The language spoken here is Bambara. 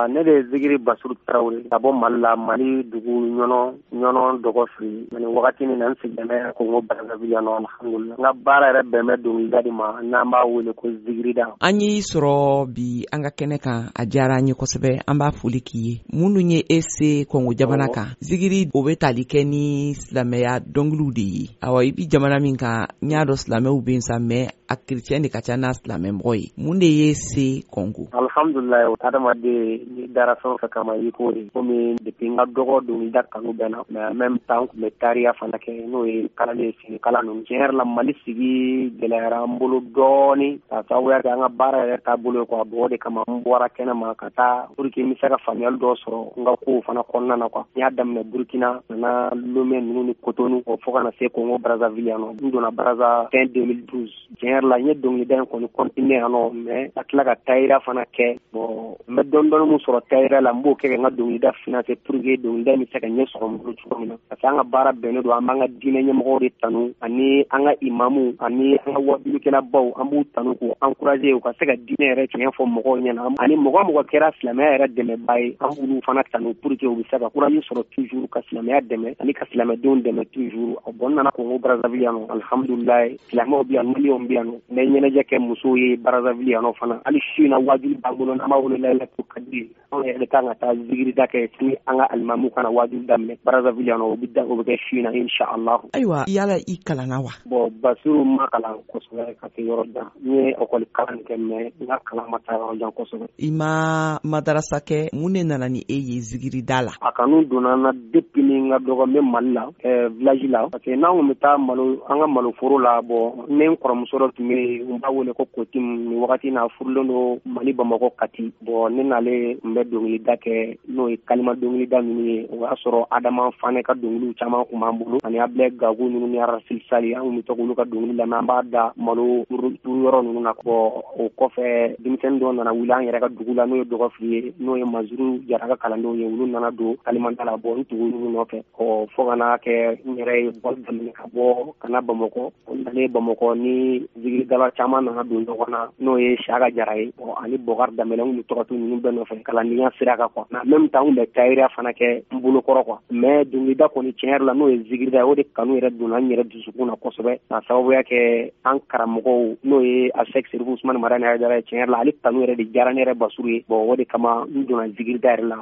Ne de ye Zigiri Basiru Tarawele ka bɔ Mali la, Mali dugu Ɲɔnɔ, Ɲɔnɔ Dɔgɔfiri. Nin wagati nin na, n sigilen bɛ Kongo Brazzaville yan nɔ, alhamdulillah. N ka baara yɛrɛ bɛn bɛ dɔnkilida de ma, n'an b'a wele ko zigirida. An y'i sɔrɔ bi an ka kɛnɛ kan, a diyara an ye kosɛbɛ, an b'a foli k'i ye. Minnu ye e se Kongo jamana kan, zigiri o bɛ tali kɛ ni silamɛya dɔnkiliw de ye. Awa, i bi jamana min kan, n y'a dɔn silamɛw bɛ yen sa, mais a kerecɛn de ka ca n'a silamɛ mɔgɔ ye. Mun de ye se Kongo? Alhamdulillah, adamaden n'i dara fɛn o fɛn kama, i k'o de komi depuis n ka dɔgɔ, dɔnkilida kanu bɛ na, mais en même temps n tun bɛ tariya fana kɛ, n'o ye kalanden sini kalan ninnu. Tiɲɛ yɛrɛ la, Mali sigi gɛlɛyara an bolo dɔɔni ka sababuya kɛ an ka baara yɛrɛ taabolo ye quoi. Bon, o de kama n bɔra kɛnɛ ma ka taa pour que n bɛ se ka faamuyali dɔw sɔrɔ n ka kow fana kɔnɔna na quoi. N y'a daminɛ Burkina, nana Lomé ninnu ni Cotonou, fo ka na se Congo Brazzaville yan nɔ. N donna Brazza fin 2012. Tiɲɛ yɛrɛ la, n ye dɔnkilida in kɔni continuer yan nɔ, mais ka tila ka tayira fana kɛ. Bon, n bɛ dɔɔni dɔɔni mun sɔrɔ tayira la, n b'o kɛ ka n ka dɔnkilida financer pour que dɔnkilida in bɛ se ka ɲɛ sɔrɔ n bolo cogo min na, parce que an ka baara bɛnnen don, an b'an ka diinɛ ɲɛmɔgɔw de tanu, ani an ka imamu, ani an ka wajulikɛlabaw. An b'u tanu k'u encourager u ka se ka diinɛ yɛrɛ tiɲɛ fɔ mɔgɔw ɲɛna, ani mɔgɔ mɔgɔ kɛra silamɛya yɛrɛ dɛmɛba ye, an b'olu fana tanu pour que u bɛ se ka courage sɔrɔ toujours ka silamɛya dɛmɛ ani ka silamɛdenw dɛmɛ toujours. Bon, n nana Kongo Brazzaville yan nɔ, alhamdulilayi, silamɛw bɛ yan, maliyɛnw bɛ yan nɔ. N bɛ ɲɛnajɛ kɛ musow ye Brazzaville yan nɔ fana. Hali su in na, wajuli b'an bolo, n'an b'a wele Layilatu Kadiri. Anw yɛrɛ de kan ka taa zigirida kɛ sini, an ka alimamu kana wajuli daminɛ Brazzaville yan nɔ. O bɛ da, o bɛ kɛ su in na, inshallah. Ayiwa, yala i kalanna wa? Bon, Basiru, ma kalan kosɛbɛ ka se yɔrɔ jan. N ye ekɔli kalan kɛ, mais n ka kalan ma taa yɔrɔ jan kosɛbɛ. I ma madarasa kɛ? Mun de nana ni e ye zigirida la? A kanu donna n na depuis ni n ka dɔgɔ, n bɛ Mali la, village la, parce que n'an kun bɛ taa malo, an ka maloforo la. Bon, ne n kɔrɔmuso dɔ tun bɛ yen, n b'a wele ko Kotim. Nin wagati n'a furulen don Mali Bamakɔ Kati. Bon, ne n'ale tun bɛ dɔnkilida kɛ, n'o ye kalima dɔnkilida ninnu ye. O y'a sɔrɔ Adama Fanɛ ka dɔnkiliw caman tun b'an bolo, ani Abilɛ Gago ninnu ni Arasil Sali. An kun bɛ to k'olu ka dɔnkili lamɛn, an b'a da malo turu yɔrɔ ninnu na. Bon, o kɔfɛ, denmisɛnnin dɔw nana wuli an yɛrɛ ka dugu la, n'o ye Dɔgɔfili ye, n'o ye Mazuru Jara ka kalandenw ye. Olu nana don kalimanda la. Bon, n tugu olu nɔfɛ ɔ, fo ka n'a kɛ n yɛrɛ ye bɔli daminɛ ka bɔ ka na Bamakɔ. Nalen Bamakɔ, ni zikiridala caman nana don ɲɔgɔn na, n'o ye Saka Jara ye, bon, ani Bɔkari Danbɛlɛ. N kun bɛ to ka to ninnu bɛɛ nɔfɛ kalandenya sira kan quoi. Mais en même temps, n kun bɛ tayira fana kɛ n bolo kɔrɔ quoi. Mais dɔnkilida kɔni, tiɲɛ yɛrɛ la, n'o ye zikirida ye, o de kanu yɛrɛ donna n yɛrɛ dusukun na kosɛbɛ, ka sababuya kɛ an karamɔgɔw, n'o ye Asɛk Serifu Usumani Madani Hayidara ye. Tiɲɛ yɛrɛ la, ale kanu yɛrɛ de diyara ne yɛrɛ Basiru ye. Bon, o de kama n donna zikirida yɛrɛ la.